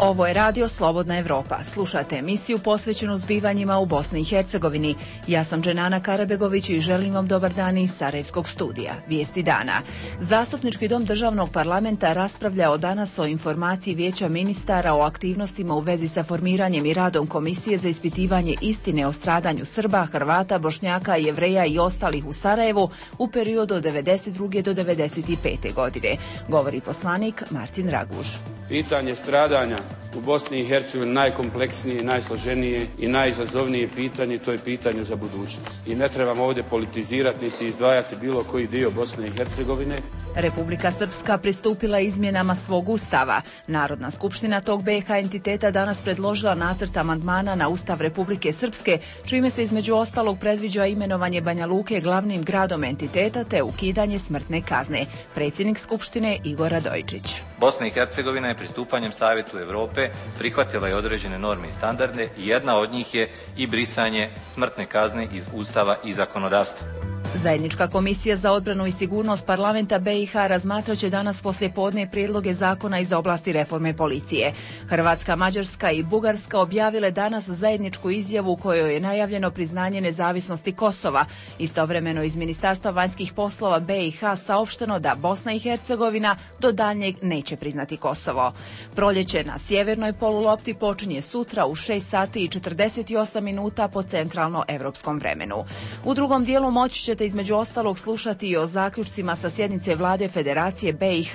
Ovo je Radio Slobodna Evropa. Slušate emisiju posvećenu zbivanjima u Bosni i Hercegovini. Ja sam Dženana Karabegović i želim vam dobar dan iz Sarajevskog studija. Vijesti dana. Zastupnički dom državnog parlamenta raspravljao danas o informaciji Vijeća ministara o aktivnostima u vezi sa formiranjem i radom Komisije za ispitivanje istine o stradanju Srba, Hrvata, Bošnjaka, Jevreja i ostalih u Sarajevu u periodu od 1992. do 1995. godine, govori poslanik Marcin Raguž. Pitanje stradanja u Bosni i Hercegovini najkompleksnije, najsloženije i najizazovnije pitanje, to je pitanje za budućnost. I ne trebamo ovdje politizirati niti izdvajati bilo koji dio Bosne i Hercegovine. Republika Srpska pristupila izmjenama svog ustava. Narodna skupština tog BiH entiteta danas predložila nacrt amandmana na Ustav Republike Srpske, čime se između ostalog predviđa imenovanje Banja Luke glavnim gradom entiteta te ukidanje smrtne kazne. Predsjednik Skupštine Igor Radojčić. Bosna i Hercegovina je pristupanjem Savjetu Europe prihvatila i određene norme i standarde i jedna od njih je i brisanje smrtne kazne iz Ustava i zakonodavstva. Zajednička komisija za odbranu i sigurnost parlamenta BiH razmatraće danas poslijepodne prijedloge zakona iz oblasti reforme policije. Hrvatska, Mađarska i Bugarska objavile danas zajedničku izjavu u kojoj je najavljeno priznanje nezavisnosti Kosova. Istovremeno iz Ministarstva vanjskih poslova BiH saopšteno da Bosna i Hercegovina do daljnjeg neće priznati Kosovo. Proljeće na sjevernoj polulopti počinje sutra u 6 sati i 48 minuta po centralno-evropskom vremenu. U drugom dijelu moći ćete između ostalog slušati i o zaključcima sa sjednice vlade Federacije BiH,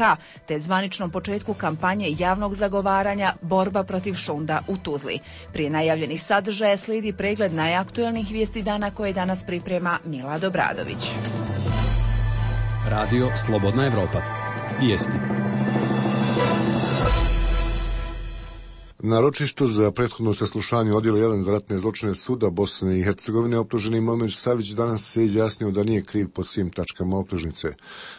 te zvaničnom početku kampanje javnog zagovaranja borba protiv šunda u Tuzli. Prije najavljenih sadržaja slijedi pregled najaktuelnih vijesti dana koje danas priprema Milad Obradović. Radio Slobodna Evropa. Vijesti. Na ročištu za prethodno saslušanje odjela 1 za ratne zločine suda Bosne i Hercegovine optuženi Momir Savić danas se izjasnio da nije kriv po svim tačkama optužnice.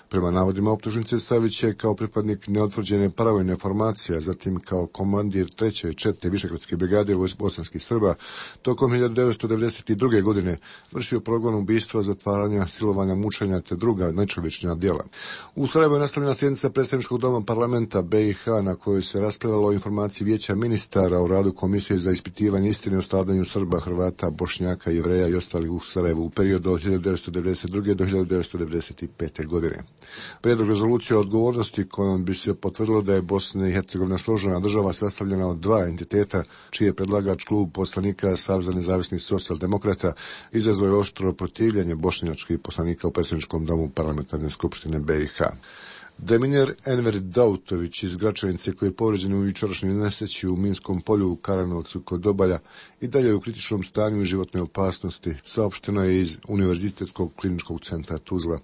Prema navodima optužnice, Savić je kao pripadnik neotvrđene paravojne formacije, zatim kao komandir 3. i 4. Višegradske brigade bosanskih Srba, tokom 1992. godine vršio progon ubistva, zatvaranja, silovanja, mučenja te druga nečovječna djela. U Sarajevu je nastavljena sjednica predstavničkog doma parlamenta BiH na kojoj se raspravljalo o informaciji Vijeća ministara o radu Komisije za ispitivanje istine o stradanju Srba, Hrvata, Bošnjaka, Jevreja i ostalih u Sarajevu u periodu od 1992. do 1995. godine. Prijedlog rezolucije o odgovornosti kojom bi se potvrdilo da je Bosna i Hercegovina složena država sastavljena od dva entiteta, čiji je predlagač klub poslanika Saveza nezavisnih socijaldemokrata, izazvao je oštro protivljenje bošnjačkih poslanika u predsjedničkom domu parlamentarne skupštine BiH. Deminer Enver Dautović iz Gračanice, koji je povrijeđen u jučerašnjoj nesreći u Minskom polju u Karanovcu kod Dobalja i dalje u kritičnom stanju i životne opasnosti, saopšteno je iz Univerzitetskog kliničkog centra Tuzla.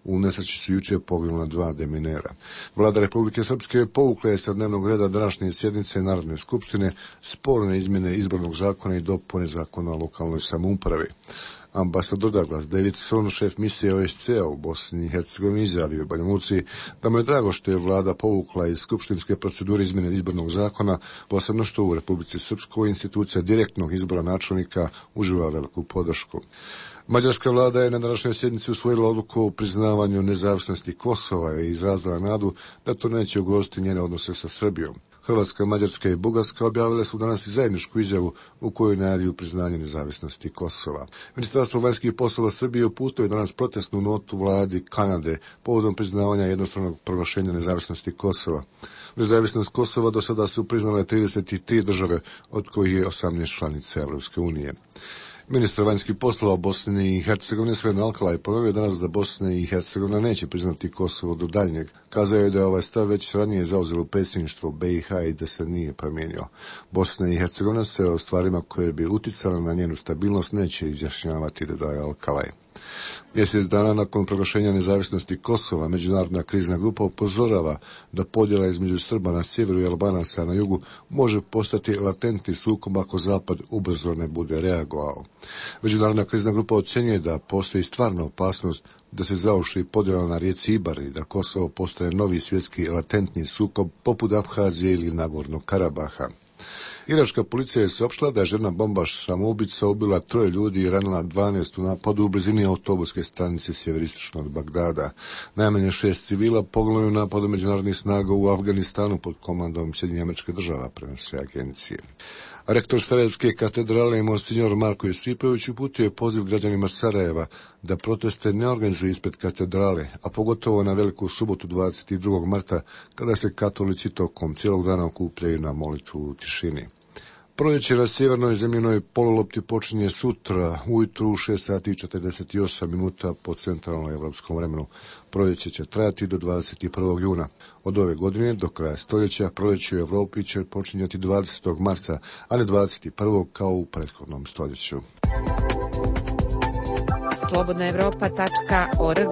U nesreći su jučer poginula dva deminera. Vlada Republike Srpske povukla je sa dnevnog reda današnje sjednice Narodne skupštine sporne izmjene izbornog zakona i dopune zakona o lokalnoj samoupravi. Ambasador Douglas Davidson, šef misije OSCE-a u Bosni i Hercegovini, izjavio u Banja Luci da mu je drago što je vlada povukla iz skupštinske procedure izmjene izbornog zakona, posebno što u Republici Srpskoj institucija direktnog izbora načelnika uživa veliku podršku. Mađarska vlada je na današnjoj sjednici usvojila odluku o priznavanju nezavisnosti Kosova i izrazila nadu da to neće ugroziti njene odnose sa Srbijom. Hrvatska, Mađarska i Bugarska objavile su danas i zajedničku izjavu u kojoj najavljuju priznanje nezavisnosti Kosova. Ministarstvo vanjskih poslova Srbije uputilo je danas protestnu notu vladi Kanade povodom priznavanja jednostranog proglašenja nezavisnosti Kosova. Nezavisnost Kosova do sada su priznale 33 države, od kojih je 18 članica Evropske unije. Ministar vanjskih poslova Bosne i Hercegovine Sven Alkalaj ponovio danas da Bosna i Hercegovina neće priznati Kosovo do daljnjeg. Kazao je da je ovaj stav već ranije zauzelo predsjedništvo BiH i da se nije promijenio. Bosna i Hercegovina se o stvarima koje bi uticale na njenu stabilnost neće izjašnjavati, dodaje Alkalaj. Mjesec dana nakon proglašenja nezavisnosti Kosova, međunarodna krizna grupa upozorava da podjela između Srba na sjeveru i Albanaca na jugu može postati latentni sukob ako Zapad ubrzo ne bude reagovao. Međunarodna krizna grupa ocjenjuje da postoji stvarna opasnost da se zaoštri podjela na rijeci Ibar i da Kosovo postaje novi svjetski latentni sukob poput Abhazije ili Nagornog Karabaha. Iračka policija je saopštila da je žena bombaš samoubica ubila 3 ljudi i ranila 12 u napadu u blizini autobuske stanice sjeveristično od Bagdada. Najmanje 6 civila poginulo u napadu međunarodnih snaga u Afganistanu pod komandom Sjedinjenih Američkih Država, prenose agencije. Rektor Sarajevske katedrale Monsignor Marko Josipović uputio je poziv građanima Sarajeva da proteste ne organizuju ispred katedrale, a pogotovo na Veliku subotu 22. marta, kada se katolici tokom cijelog dana okupljaju na molitvu u tišini. Proljeće na sjevernoj zemljinoj polulopti počinje sutra ujutru u 6 sati i 48 minuta po centralnom evropskom vremenu. Proljeće će trajati do 21. juna. Od ove godine do kraja stoljeća proljeće u Evropi će počinjati 20. marca, a ne 21. kao u prethodnom stoljeću. slobodnaevropa.org.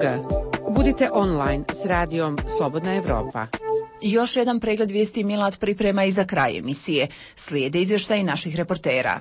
Budite online s radijom Slobodna Evropa. Još jedan pregled vijesti Milad priprema i za kraj emisije. Slijede izvještaji naših reportera.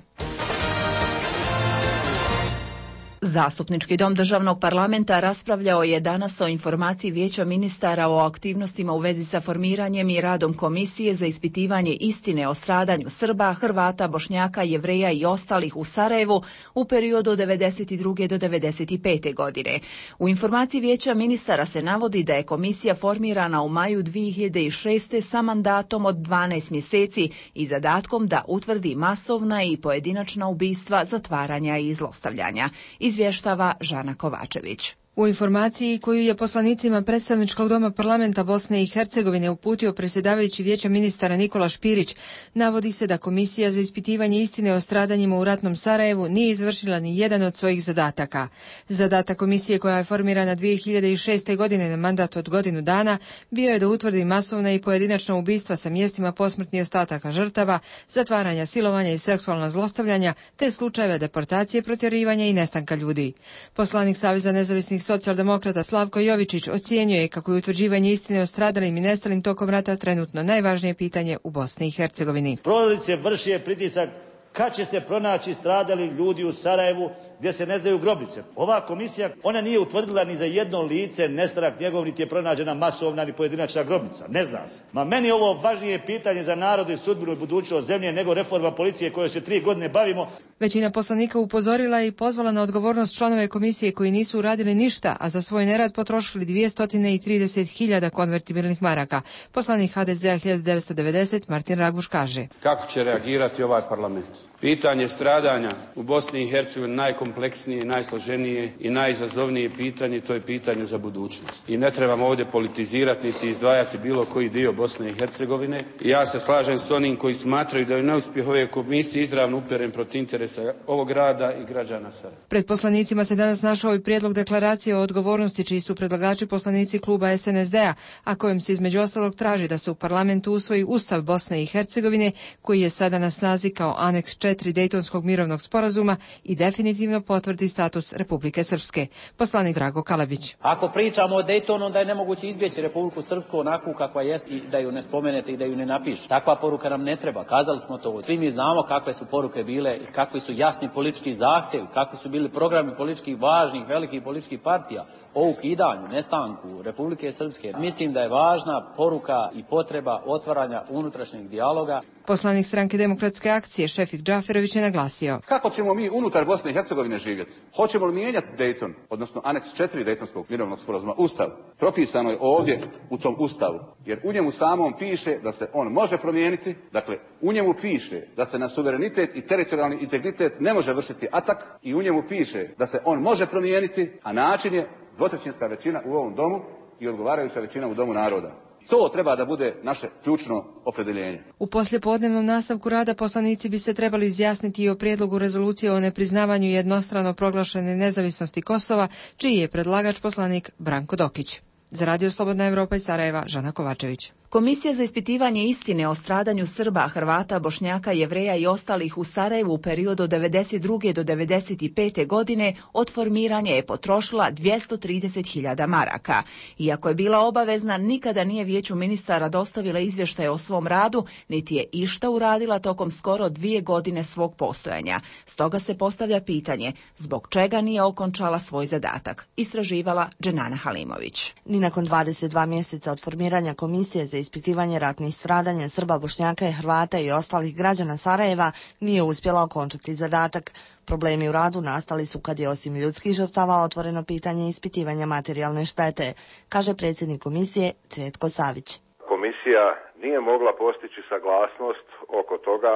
Zastupnički dom Državnog parlamenta raspravljao je danas o informaciji Vijeća ministara o aktivnostima u vezi sa formiranjem i radom Komisije za ispitivanje istine o stradanju Srba, Hrvata, Bošnjaka, Jevreja i ostalih u Sarajevu u periodu od 1992. do 1995. godine. U informaciji Vijeća ministara se navodi da je komisija formirana u maju 2006. sa mandatom od 12 mjeseci i zadatkom da utvrdi masovna i pojedinačna ubistva, zatvaranja i zlostavljanja. Izvještava Žana Kovačević. U informaciji koju je poslanicima predstavničkog doma parlamenta Bosne i Hercegovine uputio predsjedavajući Vijeća ministara Nikola Špirić, navodi se da Komisija za ispitivanje istine o stradanjima u ratnom Sarajevu nije izvršila ni jedan od svojih zadataka. Zadatak komisije, koja je formirana 2006. godine na mandat od godinu dana, bio je da utvrdi masovna i pojedinačna ubistva sa mjestima posmrtnih ostataka žrtava, zatvaranja, silovanja i seksualna zlostavljanja, te slučajeve deportacije, protjerivanja i nestanka ljudi. Poslanik Saveza nezavisnih socijaldemokrata Slavko Jovičić ocjenjuje kako je utvrđivanje istine o stradalim i nestalim tokom rata trenutno najvažnije pitanje u Bosni i Hercegovini. Porodice vrše pritisak kad će se pronaći stradali ljudi u Sarajevu gdje se ne znaju grobnice. Ova komisija, ona nije utvrdila ni za jedno lice nestanak njegov, niti je pronađena masovna ni pojedinačna grobnica. Ne zna se. Ma meni je ovo važnije pitanje za narod i sudbinu i budućnost zemlje nego reforma policije kojoj se 3 godine bavimo. Većina poslanika upozorila i pozvala na odgovornost članove komisije koji nisu uradili ništa, a za svoj nerad potrošili 230.000 konvertibilnih maraka. Poslanik HDZ-a 1990 Martin Raguš kaže: Kako će reagirati ovaj parlament? Pitanje stradanja u Bosni i Hercegovini najkompleksnije, najsloženije i najizazovnije pitanje, to je pitanje za budućnost. I ne trebamo ovdje politizirati niti izdvajati bilo koji dio Bosne i Hercegovine. I ja se slažem s onim koji smatraju da je neuspjeh ove komisije izravno uperen protiv interesa ovog grada i građana Sarajeva. Pred poslanicima se danas našao i prijedlog deklaracije o odgovornosti, čiji su predlagači poslanici kluba SNSD-a, a kojim se između ostalog traži da se u parlamentu usvoji Ustav Bosne i Hercegovine, koji je sada na snazi kao aneks 4 Dejtonskog mirovnog sporazuma i definitivno potvrdi status Republike Srpske. Poslanik Drago Kalabić. Ako pričamo o Dejtonu, onda je nemoguće izbjeći Republiku Srpsku onakvu kakva jest i da ju ne spomenete i da ju ne napišete. Takva poruka nam ne treba. Kazali smo to. Svi mi znamo kakve su poruke bile i kakvi su jasni politički zahtjevi, kakvi su bili programi političkih važnih, velikih političkih partija o ukidanju, nestanku Republike Srpske. Mislim da je važna poruka i potreba otvaranja unutrašnjeg dijaloga. Poslanik Stranke demokratske akcije Šefik Džaferović je naglasio: Kako ćemo mi unutar Bosne i Hercegovine živjeti? Hoćemo li mijenjati Dejton, odnosno aneks 4 Dejtonskog mirovnog sporazuma, Ustav? Propisano je ovdje u tom Ustavu, jer u njemu samom piše da se on može promijeniti, dakle u njemu piše da se na suverenitet i teritorijalni integritet ne može vršiti atak i u njemu piše da se on može promijeniti, a način je dvotrećinska većina u ovom domu i odgovarajuća većina u domu naroda. To treba da bude naše ključno opredjeljenje. U poslijepodnevnom nastavku rada poslanici bi se trebali izjasniti i o prijedlogu rezolucije o nepriznavanju jednostrano proglašene nezavisnosti Kosova, čiji je predlagač poslanik Branko Dokić. Za Radio Slobodna Evropa iz Sarajeva, Žana Kovačević. Komisija za ispitivanje istine o stradanju Srba, Hrvata, Bošnjaka, Jevreja i ostalih u Sarajevu u periodu od 1992. do 1995. godine od formiranja je potrošila 230.000 maraka. Iako je bila obavezna, nikada nije Vijeću ministara dostavila izvještaje o svom radu, niti je išta uradila tokom skoro 2 godine svog postojanja. Stoga se postavlja pitanje zbog čega nije okončala svoj zadatak. Istraživala Dženana Halimović. Ni nakon 22 mjeseca od formiranja Komisije za ispitivanje ratnih stradanja Srba, Bošnjaka i Hrvata i ostalih građana Sarajeva nije uspjela okončati zadatak. Problemi u radu nastali su kad je osim ljudskih žrtava otvoreno pitanje ispitivanja materijalne štete, kaže predsjednik komisije Cvjetko Savić. Komisija nije mogla postići saglasnost oko toga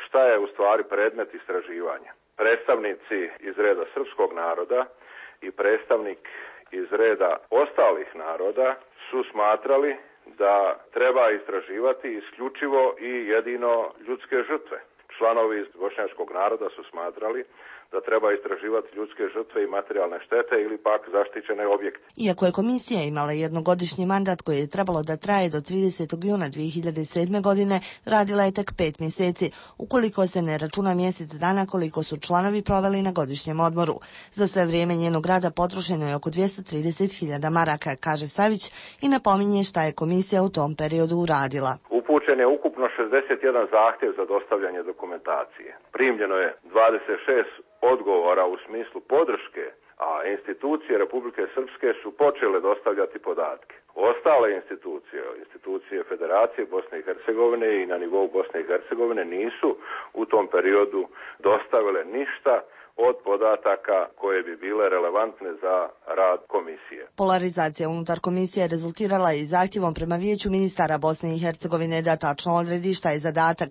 šta je u stvari predmet istraživanja. Predstavnici iz reda srpskog naroda i predstavnik iz reda ostalih naroda su smatrali da treba istraživati isključivo i jedino ljudske žrtve. Članovi iz bošnjačkog naroda su smatrali da treba istraživati ljudske žrtve i materijalne štete ili pak zaštićene objekte. Iako je komisija imala jednogodišnji mandat koji je trebalo da traje do 30. juna 2007. godine, radila je tek 5 mjeseci, ukoliko se ne računa mjesec dana koliko su članovi proveli na godišnjem odmoru. Za sve vrijeme njenog rada potrošeno je oko 230.000 maraka, kaže Savić i napominje šta je komisija u tom periodu uradila. Upućen je ukupno 61 zahtjev za dostavljanje dokumentacije. Primljeno je 26 odgovora u smislu podrške, a institucije Republike Srpske su počele dostavljati podatke. Ostale institucije Federacije Bosne i Hercegovine i na nivou Bosne i Hercegovine nisu u tom periodu dostavile ništa od podataka koje bi bile relevantne za rad komisije. Polarizacija unutar komisije rezultirala je i zahtjevom prema Vijeću ministara Bosne i Hercegovine da tačno odredi šta je zadatak.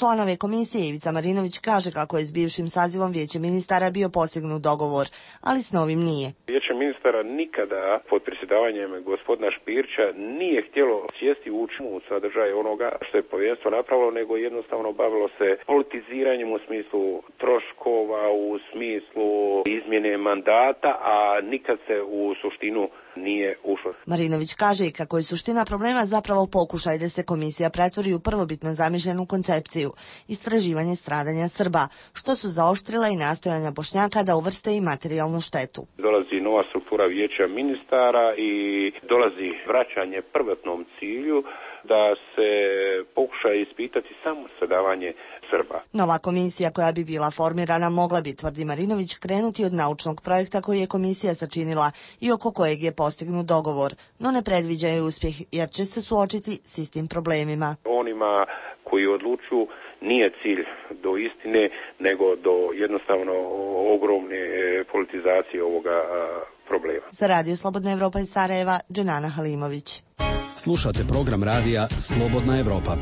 Članove komisije Ivica Marinović kaže kako je s bivšim sazivom Vijeće ministara bio postignut dogovor, ali s novim nije. Vijeće ministara nikada pod predsjedavanjem gospodina Špirića nije htjelo sjesti u sadržaj onoga što je povjerenstvo napravilo, nego jednostavno bavilo se politiziranjem u smislu troškova, u smislu izmjene mandata, a nikad se u suštinu nije ušlo. Marinović kaže i kako je suština problema zapravo pokušaj da se komisija pretvori u prvobitno zamišljenu koncepciju, istraživanje stradanja Srba, što su zaoštrile i nastojanja Bošnjaka da uvrste i materijalnu štetu. Dolazi nova struktura Vijeća ministara i dolazi vraćanje prvotnom cilju da se pokuša ispitati samo stradavanje Srba. Nova komisija koja bi bila formirana mogla bi, tvrdi Marinović, krenuti od naučnog projekta koji je komisija sačinila i oko kojeg je postignut dogovor, no ne predviđaju uspjeh jer će se suočiti s istim problemima. Onima koji odlučuju nije cilj do istine, nego do jednostavno ogromne politizacije ovoga problema. Za Radio Slobodna Evropa iz Sarajeva, Dženana Halimović. Slušate program radija Slobodna Evropa.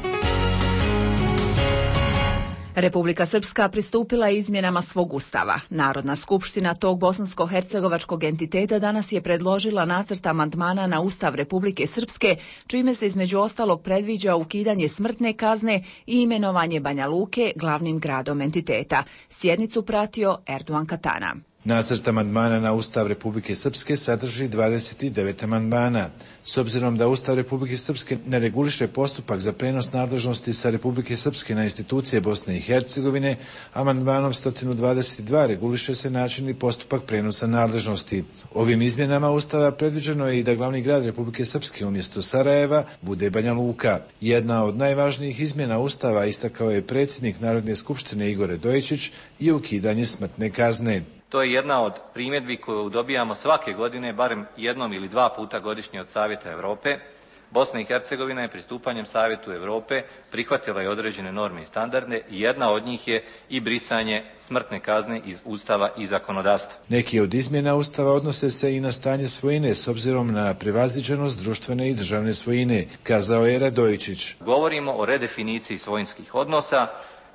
Republika Srpska pristupila izmjenama svog ustava. Narodna skupština tog bosansko-hercegovačkog entiteta danas je predložila nacrt amandmana na Ustav Republike Srpske, čime se između ostalog predviđa ukidanje smrtne kazne i imenovanje Banja Luke glavnim gradom entiteta. Sjednicu pratio Erdogan Katana. Nacrt amandmana na Ustav Republike Srpske sadrži 29 amandmana. S obzirom da Ustav Republike Srpske ne reguliše postupak za prenos nadležnosti sa Republike Srpske na institucije Bosne i Hercegovine, amandmanom 122 reguliše se način i postupak prenosa nadležnosti. Ovim izmjenama Ustava predviđeno je i da glavni grad Republike Srpske umjesto Sarajeva bude Banja Luka. Jedna od najvažnijih izmjena Ustava, istakao je predsjednik Narodne skupštine Igor Radojičić, je ukidanje smrtne kazne. To je jedna od primjedbi koju dobijamo svake godine, barem jednom ili dva puta godišnje od Savjeta Europe. Bosna i Hercegovina je pristupanjem Savjetu Europe prihvatila i određene norme i standarde i jedna od njih je i brisanje smrtne kazne iz Ustava i zakonodavstva. Neki od izmjena Ustava odnose se i na stanje svojine s obzirom na prevaziđenost društvene i državne svojine, kazao je Radojičić. Govorimo o redefiniciji svojinskih odnosa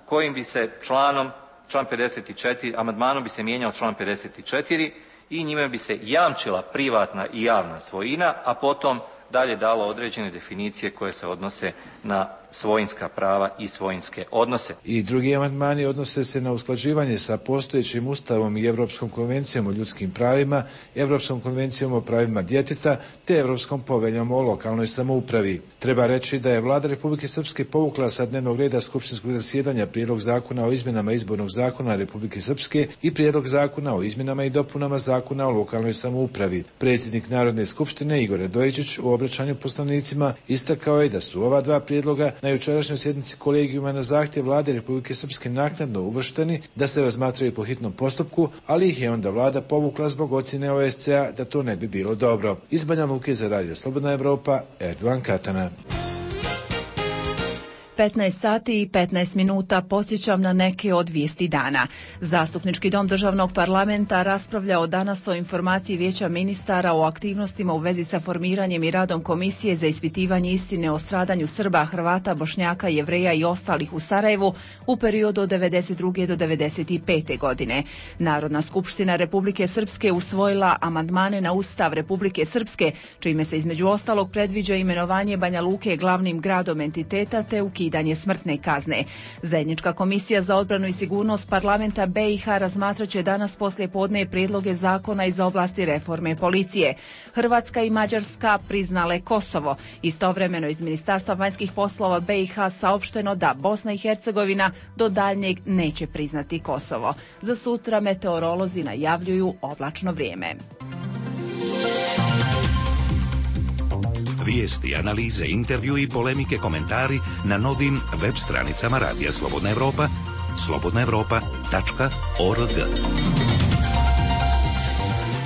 kojim bi se član 54, amandmanom bi se mijenjao član 54 i njime bi se jamčila privatna i javna svojina, a potom dalje dalo određene definicije koje se odnose na svojinska prava i svojinske odnose. I drugi amandmani odnose se na usklađivanje sa postojećim Ustavom i Europskom konvencijom o ljudskim pravima, Europskom konvencijom o pravima djeteta te Europskom poveljom o lokalnoj samoupravi. Treba reći da je Vlada Republike Srpske povukla sa dnevnog reda skupštinskog zasjedanja prijedlog zakona o izmjenama izbornog zakona Republike Srpske i prijedlog zakona o izmjenama i dopunama zakona o lokalnoj samoupravi. Predsjednik Narodne skupštine Igor Radojičić u obraćanju poslanicima istakao je da su ova dva prijedloga na jučerašnjoj sjednici kolegijuma na zahtjev Vlade Republike Srpske naknadno uvršteni da se razmatraju po hitnom postupku, ali ih je onda Vlada povukla zbog ocjene OSCE-a da to ne bi bilo dobro. Iz Banja Luke za Radio Slobodna Evropa, Erdogan Katana. 15 sati i 15 minuta posjećam na neke od vijesti dana. Zastupnički dom državnog parlamenta raspravljao danas o informaciji Vijeća ministara o aktivnostima u vezi sa formiranjem i radom Komisije za ispitivanje istine o stradanju Srba, Hrvata, Bošnjaka, Jevreja i ostalih u Sarajevu u periodu od 1992. do 1995. godine. Narodna skupština Republike Srpske usvojila amandmane na Ustav Republike Srpske, čime se između ostalog predviđa imenovanje Banja Luke glavnim gradom entiteta te ukidanje smrtne kazne. Zajednička komisija za odbranu i sigurnost parlamenta BiH razmatraće danas poslijepodne prijedloge zakona iz oblasti reforme policije. Hrvatska i Mađarska priznale Kosovo. Istovremeno iz Ministarstva vanjskih poslova BiH saopšteno da Bosna i Hercegovina do daljnjeg neće priznati Kosovo. Za sutra meteorolozi najavljuju oblačno vrijeme. Vijesti, analize, intervju i polemike, komentari na novim web stranicama Radija Slobodna Evropa, slobodnaevropa.org.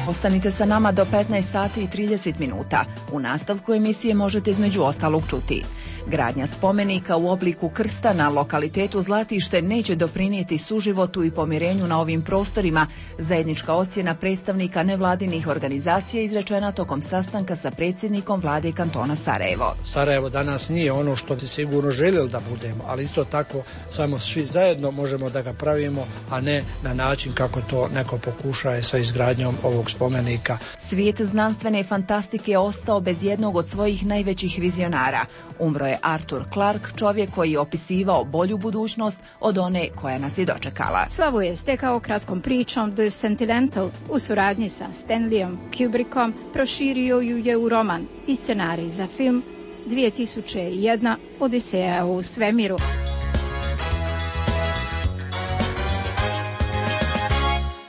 Ostanite sa nama do 15 sati i 30 minuta. U nastavku emisije možete između ostalog čuti: gradnja spomenika u obliku krsta na lokalitetu Zlatište neće doprinijeti suživotu i pomirenju na ovim prostorima. Zajednička ocjena predstavnika nevladinih organizacija izrečena tokom sastanka sa predsjednikom vlade kantona Sarajevo. Sarajevo danas nije ono što bi sigurno željeli da budemo, ali isto tako samo svi zajedno možemo da ga pravimo, a ne na način kako to neko pokušaje sa izgradnjom ovog spomenika. Svijet znanstvene fantastike je ostao bez jednog od svojih najvećih vizionara. Umro je Arthur Clarke, čovjek koji je opisivao bolju budućnost od one koja nas je dočekala. Slavu je stekao kratkom pričom The Sentinel u suradnji sa Stanleyom Kubrickom, proširio ju je u roman i scenarij za film 2001 Odiseja u svemiru.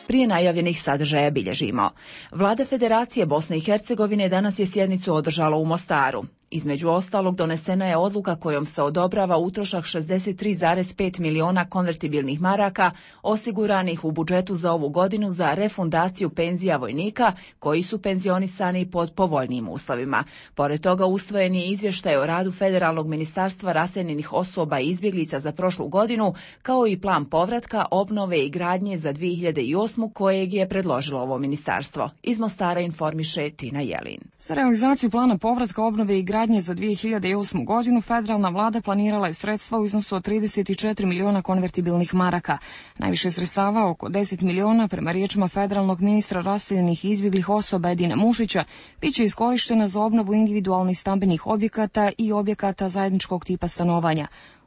Prije najavljenih sadržaja bilježimo. Vlada Federacije Bosne i Hercegovine danas je sjednicu održala u Mostaru. Između ostalog donesena je odluka kojom se odobrava utrošak 63,5 miliona konvertibilnih maraka osiguranih u budžetu za ovu godinu za refundaciju penzija vojnika koji su penzionisani pod povoljnijim uslovima. Pored toga usvojen je izvještaj o radu Federalnog ministarstva raseljenih osoba i izbjeglica za prošlu godinu, kao i plan povratka, obnove i gradnje za 2008. kojeg je predložilo ovo ministarstvo. Iz Mostara informiše Tina Jelin. Za realizaciju plana povratka, obnove i gradnje za 2008. godinu federalna vlada planirala je sredstva u iznosu od 34 miliona konvertibilnih maraka. Najviše sredstava, oko 10 miliona, prema riječima federalnog ministra raseljenih i izbjeglih osoba Edina Mušića, bit će iskorištena za obnovu individualnih stambenih objekata i objekata zajedničkog tipa stanovanja.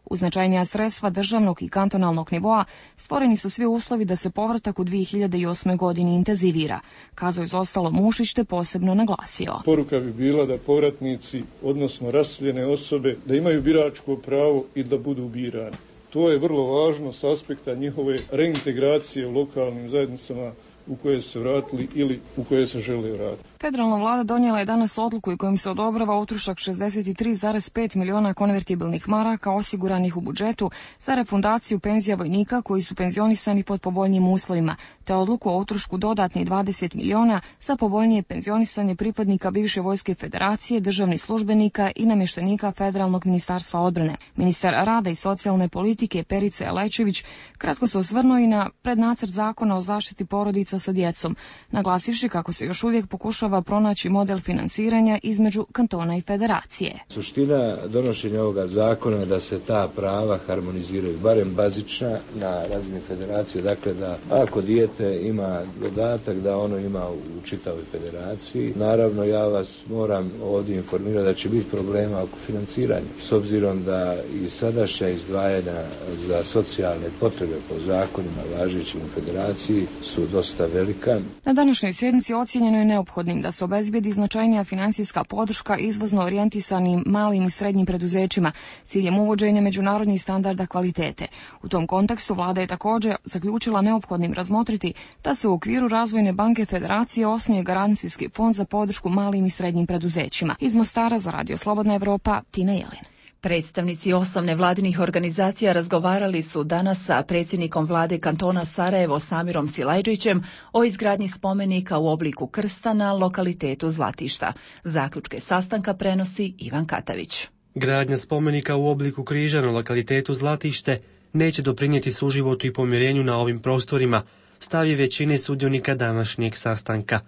Uz značajnija sredstva državnog i kantonalnog nivoa stvoreni su svi uslovi da se povratak u 2008. godini intenzivira, kazao je ostalo Mušić te posebno naglasio. Poruka bi bila da povratnici, odnosno raseljene osobe, da imaju biračko pravo i da budu birani. To je vrlo važno s aspekta njihove reintegracije u lokalnim zajednicama u koje su se vratili ili u koje se žele vratiti. Federalna vlada donijela je danas odluku i kojim se odobrava utrošak 63,5 miliona konvertibilnih maraka osiguranih u budžetu za refundaciju penzija vojnika koji su penzionisani pod povoljnijim uslovima, te odluku o utrošku dodatnih 20 miliona za povoljnije penzionisanje pripadnika bivše vojske federacije, državnih službenika i namještenika Federalnog ministarstva odbrane. Ministar rada i socijalne politike Perica Lečević kratko se osvrnuo i na prednacrt zakona o zaštiti porodica sa djecom, naglasivši kako se još uvijek pokušava pronaći model finansiranja između kantona i federacije. Suština donošenja ovoga zakona je da se ta prava harmoniziraju, barem bazična na razini federacije, dakle da ako dijete ima dodatak da ono ima u čitavoj federaciji. Naravno, ja vas moram ovdje informirati da će biti problema oko financiranja, s obzirom da i sadašnja izdvajanja za socijalne potrebe po zakonima važećim u federaciji su dosta velika. Na današnjoj sjednici ocijenjeno je neophodnim da se obezbijedi značajnija financijska podrška izvozno orijentisanim malim i srednjim preduzećima s ciljem uvođenja međunarodnih standarda kvalitete. U tom kontekstu vlada je također zaključila neophodnim razmotriti da se u okviru Razvojne banke Federacije osnuje garancijski fond za podršku malim i srednjim preduzećima. Iz Mostara za Radio Slobodna Evropa, Tina Jelin. Predstavnici 8 nevladinih organizacija razgovarali su danas sa predsjednikom vlade kantona Sarajevo Samirom Silajđićem o izgradnji spomenika u obliku krsta na lokalitetu Zlatišta. Zaključke sastanka prenosi Ivan Katavić. Gradnja spomenika u obliku križa na lokalitetu Zlatište neće doprinijeti suživotu i pomirenju na ovim prostorima, stav je većine sudionika današnjeg sastanka.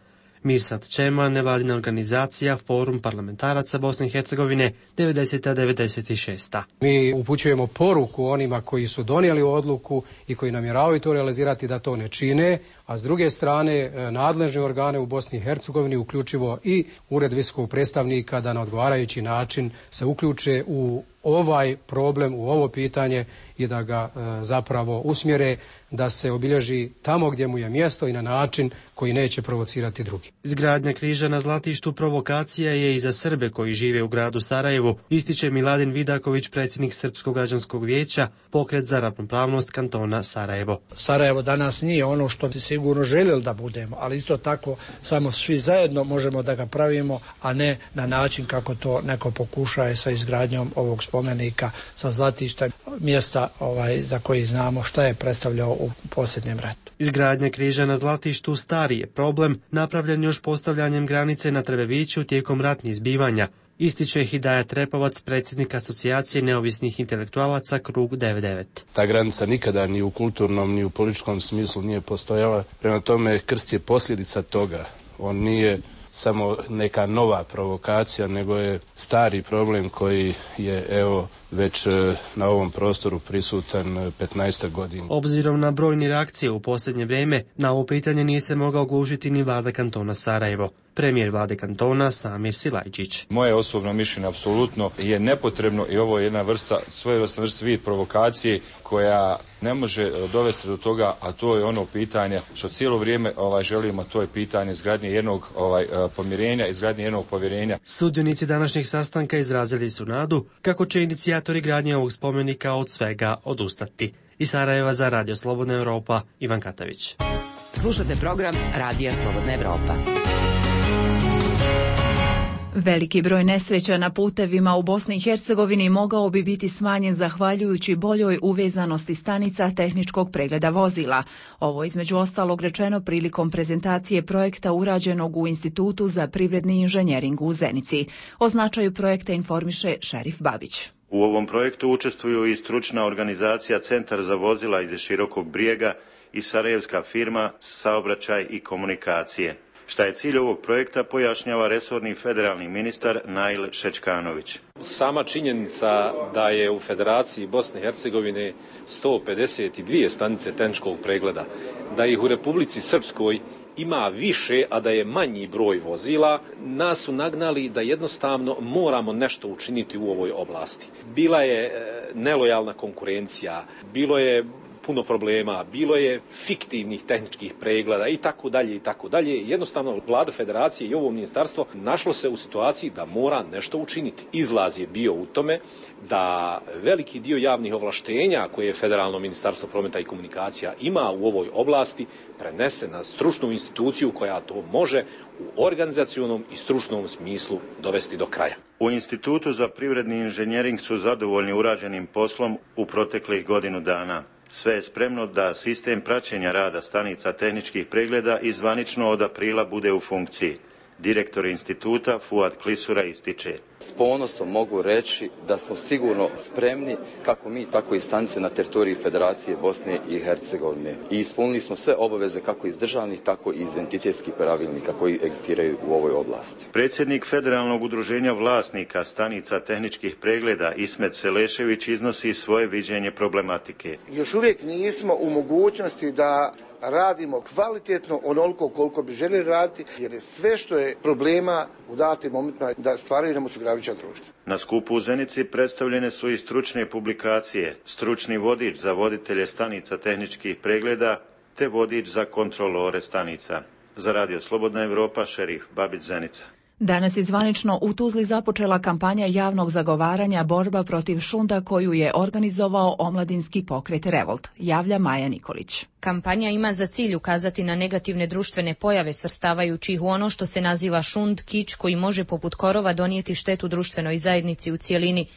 Mirsad Čema, nevladina organizacija, Forum parlamentaraca Bosne i Hercegovine, 90-96. Mi upućujemo poruku onima koji su donijeli odluku i koji namjeravaju to realizirati da to ne čine, a s druge strane nadležne organe u Bosni i Hercegovini, uključivo i Ured visokog predstavnika, da na odgovarajući način se uključe u ovaj problem, u ovo pitanje i da ga zapravo usmjere da se obilježi tamo gdje mu je mjesto i na način koji neće provocirati drugi. Izgradnja križa na Zlatištu provokacija je i za Srbe koji žive u gradu Sarajevu, ističe Miladin Vidaković, predsjednik Srpskog građanskog vijeća, pokret za ravnopravnost kantona Sarajevo. Sarajevo danas nije ono što bi sigurno željeli da budemo, ali isto tako samo svi zajedno možemo da ga pravimo, a ne na način kako to neko pokušaje sa izgradnjom ovog spomenika sa Zlatišta, mjesta za koji znamo šta je predstavljao u posljednjem ratu. Izgradnja križa na Zlatištu stari je problem, napravljen još postavljanjem granice na Trebeviću tijekom ratnih zbivanja, ističe Hidaja Trepovac, predsjednik Asocijacije neovisnih intelektualaca Krug 99. Ta granica nikada ni u kulturnom ni u političkom smislu nije postojala, prema tome krst je posljedica toga. On nije samo neka nova provokacija, nego je stari problem koji je već na ovom prostoru prisutan 15 godina. Obzirom na brojne reakcije u posljednje vrijeme, na ovo pitanje nije se mogao oglušiti ni vlada kantona Sarajevo. Premijer vlade kantona Samir Silajđić. Moje osobno mišljenje apsolutno je nepotrebno i ovo je jedna svojevrsna vid provokacije koja ne može dovesti do toga, a to je ono pitanje što cijelo vrijeme želimo, to je pitanje izgradnje jednog pomirenja, izgradnje jednog povjerenja. Sudionici današnjeg sastanka izrazili su nadu kako će inicijatori gradnje ovog spomenika od svega odustati. Iz Sarajeva za Radio Slobodna Europa, Ivan Katavić. Slušate program Radija Slobodna Europa. Veliki broj nesreća na putevima u Bosni i Hercegovini mogao bi biti smanjen zahvaljujući boljoj uvezanosti stanica tehničkog pregleda vozila. Ovo između ostalog rečeno prilikom prezentacije projekta urađenog u Institutu za privredni inženjering u Zenici. O značaju projekta informiše Šerif Babić. U ovom projektu učestvuju i stručna organizacija Centar za vozila iz Širokog Brijega i sarajevska firma Saobraćaj i komunikacije. Šta je cilj ovog projekta pojašnjava resorni federalni ministar Nail Šečkanović. Sama činjenica da je u Federaciji Bosne i Hercegovine 152 stanice tehničkog pregleda, da ih u Republici Srpskoj ima više, a da je manji broj vozila, nas su nagnali da jednostavno moramo nešto učiniti u ovoj oblasti. Bila je nelojalna konkurencija, bilo je puno problema, bilo je fiktivnih tehničkih pregleda i tako dalje i tako dalje. Jednostavno vlada federacije i ovo ministarstvo našlo se u situaciji da mora nešto učiniti. Izlaz je bio u tome da veliki dio javnih ovlaštenja koje je Federalno ministarstvo prometa i komunikacija ima u ovoj oblasti prenese na stručnu instituciju koja to može u organizacionom i stručnom smislu dovesti do kraja. U Institutu za privredni inženjering su zadovoljni urađenim poslom u proteklih godinu dana. Sve je spremno da sistem praćenja rada stanica tehničkih pregleda i zvanično od aprila bude u funkciji. Direktor instituta Fuad Klisura ističe. S ponosom mogu reći da smo sigurno spremni, kako mi, tako i stanice na teritoriji Federacije Bosne i Hercegovine. I ispunili smo sve obaveze kako iz državnih, tako i iz entitetskih pravilnika koji egzistiraju u ovoj oblasti. Predsjednik Federalnog udruženja vlasnika stanica tehničkih pregleda Ismet Selešević iznosi svoje viđenje problematike. Još uvijek nismo u mogućnosti da radimo kvalitetno onoliko koliko bi željeli raditi, jer je sve što je problema u datim momentima da stvaraju nam osiguravajuća društva. Na skupu u Zenici predstavljene su i stručne publikacije, stručni vodič za voditelje stanica tehničkih pregleda te vodič za kontrolore stanica. Za Radio Slobodna Europa, Šerif Babić, Zenica. Danas je zvanično u Tuzli započela kampanja javnog zagovaranja borba protiv šunda koju je organizovao omladinski pokret Revolt, javlja Maja Nikolić. Kampanja ima za cilj ukazati na negativne društvene pojave svrstavajući ih u ono što se naziva šund, kič koji može poput korova donijeti štetu društvenoj zajednici u cijelini.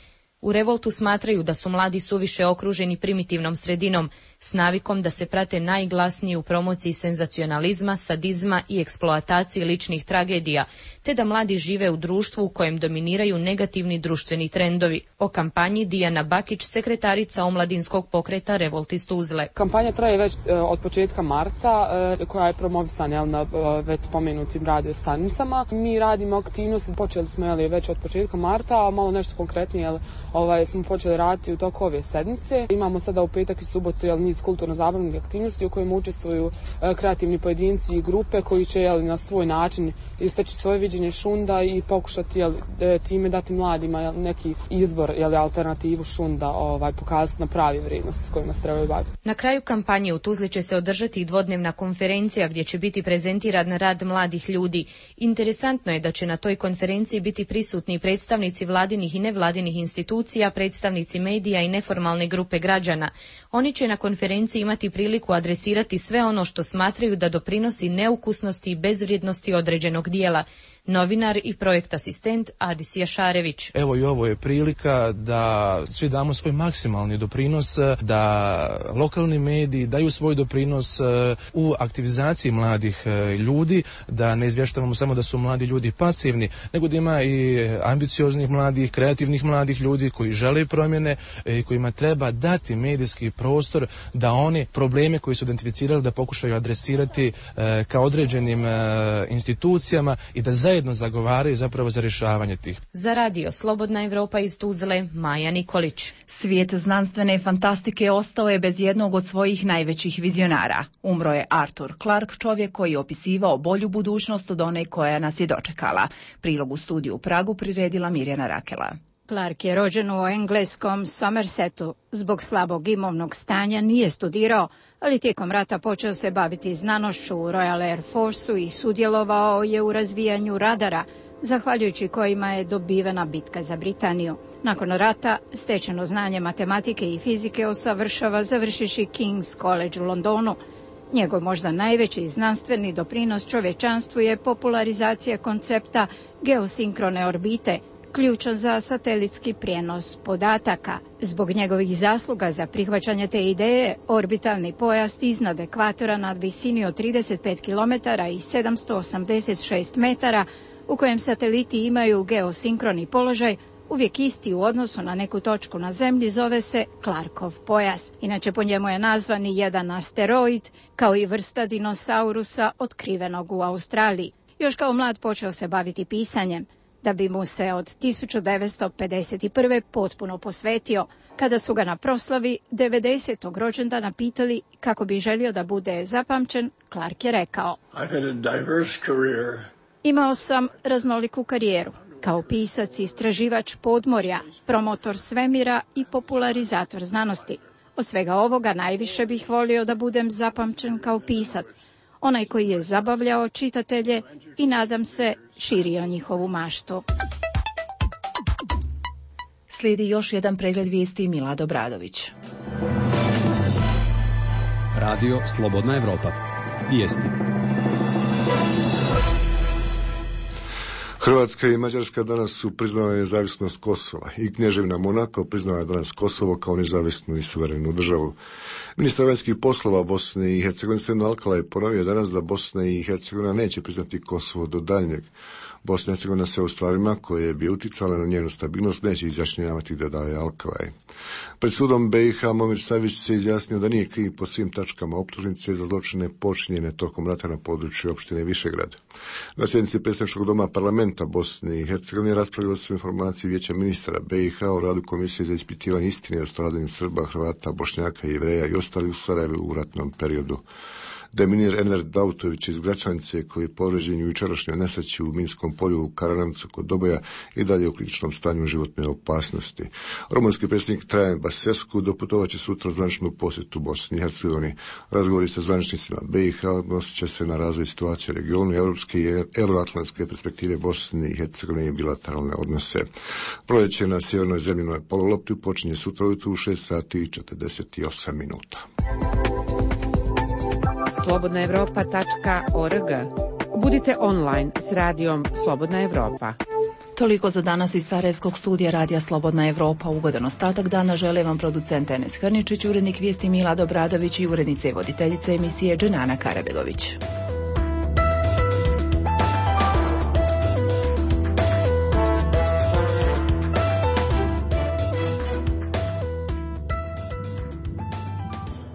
U Revoltu smatraju da su mladi suviše okruženi primitivnom sredinom, s navikom da se prate najglasniji u promociji senzacionalizma, sadizma i eksploataciji ličnih tragedija, te da mladi žive u društvu u kojem dominiraju negativni društveni trendovi. O kampanji Dijana Bakić, sekretarica omladinskog pokreta Revolt iz Tuzle. Kampanja traje već od početka marta, koja je promovisana na već spomenutim radio stanicama. Mi radimo aktivnosti, počeli smo već od početka marta, a malo nešto konkretnije smo počeli raditi u toku ove sedmice. Imamo sada u petak i subotu niz kulturno-zabavnih aktivnosti u kojima učestvuju kreativni pojedinci i grupe koji će na svoj način istaći svoje viđenje šunda i pokušati time dati mladima neki izbor, alternativu šunda, pokazati na pravi vrijednost s kojima se trebaju baviti. Na kraju kampanje u Tuzli će se održati i dvodnevna konferencija gdje će biti prezentiran rad mladih ljudi. Interesantno je da će na toj konferenciji biti prisutni predstavnici vladinih i nevladinih institucija, predstavnici medija i neformalne grupe građana. Oni će na konferenciji imati priliku adresirati sve ono što smatraju da doprinosi neukusnosti i bezvrijednosti određenog dijela. Novinar i projekt asistent Adis Jašarević. Evo i ovo je prilika da svi damo svoj maksimalni doprinos, da lokalni mediji daju svoj doprinos u aktivizaciji mladih ljudi, da ne izvještavamo samo da su mladi ljudi pasivni, nego da ima i ambicioznih mladih, kreativnih mladih ljudi koji žele promjene i kojima treba dati medijski prostor da oni probleme koji su identificirali da pokušaju adresirati ka određenim institucijama i da zajedno zagovaraju zapravo za rješavanje tih. Za radio Slobodna Evropa iz Tuzle, Maja Nikolić. Svijet znanstvene fantastike ostao je bez jednog od svojih najvećih vizionara. Umro je Arthur Clarke, čovjek koji je opisivao bolju budućnost od one koja nas je dočekala. Prilog u studiju u Pragu priredila Mirjana Rakela. Clarke je rođen u engleskom Somersetu. Zbog slabog imovnog stanja nije studirao, ali tijekom rata počeo se baviti znanošću u Royal Air Forceu i sudjelovao je u razvijanju radara, zahvaljujući kojima je dobivena bitka za Britaniju. Nakon rata stečeno znanje matematike i fizike usavršava završivši King's College u Londonu. Njegov možda najveći znanstveni doprinos čovječanstvu je popularizacija koncepta geosinkrone orbite, ključan za satelitski prijenos podataka. Zbog njegovih zasluga za prihvaćanje te ideje, orbitalni pojas iznad ekvatora nad visini od 35 km i 786 metara, u kojem sateliti imaju geosinkroni položaj, uvijek isti u odnosu na neku točku na Zemlji, zove se Clarkov pojas. Inače, po njemu je nazvan i jedan asteroid, kao i vrsta dinosaurusa otkrivenog u Australiji. Još kao mlad počeo se baviti pisanjem, da bi mu se od 1951. potpuno posvetio. Kada su ga na proslavi 90. rođendana pitali kako bi želio da bude zapamćen, Clarke je rekao: Imao sam raznoliku karijeru. Kao pisac, istraživač podmorja, promotor svemira i popularizator znanosti. Od svega ovoga najviše bih volio da budem zapamćen kao pisac, onaj koji je zabavljao čitatelje i, nadam se, širio njihovu maštu. Slijedi još jedan pregled vijesti Milad Obradović. Radio Slobodna Evropa. Vijesti. Hrvatska i Mađarska danas su priznale nezavisnost Kosova i Kneževina Monako priznala je danas Kosovo kao nezavisnu i suverenu državu. Ministar vanjskih poslova Bosne i Hercegovine Sedno Alkala je ponovio danas da Bosna i Hercegovina neće priznati Kosovo do daljnjeg. Bosna i Hercegovina se u stvarima koje bi uticale na njenu stabilnost neće izjašnjavati, dodaje Alkalaj. Pred sudom BiH Momir Savić se izjasnio da nije kriv po svim tačkama optužnice za zločine počinjene tokom rata na području opštine Višegrad. Na sjednici predstavničkog doma parlamenta Bosne i Hercegovine raspravljalo se informacije Vijeća ministara BiH o radu Komisije za ispitivanje istine o stradanju Srba, Hrvata, Bošnjaka, Jevreja i ostalih u Sarajevu u ratnom periodu. Deminir Enver Dautović iz Gračanice, koji je povrijeđen u jučerašnjoj nesreći u Minskom polju u Karanovcu kod Doboja i dalje u kritičnom stanju životne opasnosti. Rumunski predsjednik Trajan Basescu doputovaće sutra u zvaničnu posjetu Bosni i Hercegovini. Razgovori sa zvaničnicima BiH odnosit će se na razvoj situacije u regionu, europske i euroatlantske perspektive Bosne i Hercegovine i bilateralne odnose. Proljeće na sjevernoj zemljinoj polulopti počinje sutra ujutro u 6:48 minuta. slobodnaevropa.org. Budite online s radijom Slobodna Evropa. Toliko za danas iz Sarajevskog studija Radija Slobodna Evropa. Ugodan ostatak dana žele vam producent Enes Hrničić, urednik vijesti Milad Obradović i urednica i voditeljica emisije Dženana Karabegović.